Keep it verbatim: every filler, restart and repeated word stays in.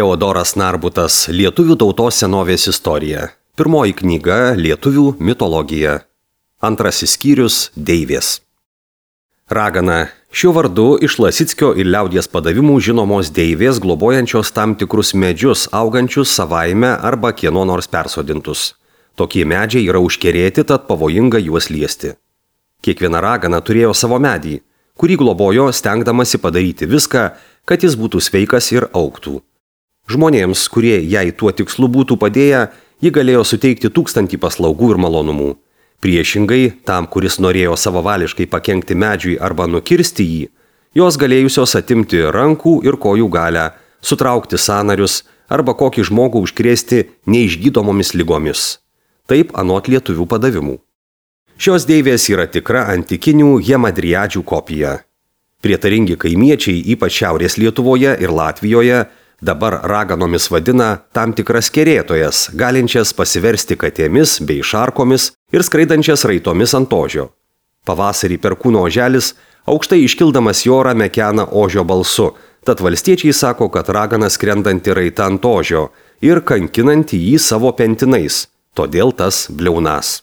Teodoras Narbutas Lietuvių tautos senovės istorija. Pirmoji knyga Lietuvių mitologija. Antrasis skyrius Deivės. Ragana. Šiuo vardu iš Lasickio ir liaudies padavimų žinomos deivės globojančios tam tikrus medžius augančius savaime arba kieno nors persodintus. Tokie medžiai yra užkerėti, tad pavojinga juos liesti. Kiekviena ragana turėjo savo medį, kurį globojo stengdamasi padaryti viską, kad jis būtų sveikas ir augtų. Žmonėms, kurie jai tuo tikslu būtų padėję, ji galėjo suteikti tūkstantį paslaugų ir malonumų. Priešingai, tam, kuris norėjo savavališkai pakenkti medžiui arba nukirsti jį, jos galėjusios atimti rankų ir kojų galią, sutraukti sąnarius arba kokį žmogų užkrėsti neišgydomomis ligomis. Taip anot lietuvių padavimų. Šios deivės yra tikra antikinių hemadriadžių kopija. Prietaringi kaimiečiai, ypač Šiaurės Lietuvoje ir Latvijoje, dabar raganomis vadina tam tikras kerėtojas, galinčias pasiversti katėmis bei šarkomis ir skraidančias raitomis ant ožio. Pavasarį perkūno oželis aukštai iškildamas į orą mekena ožio balsu, tad valstiečiai sako, kad ragana skrendanti raita ant ožio ir kankinanti jį savo pentinais, todėl tas bliaunas.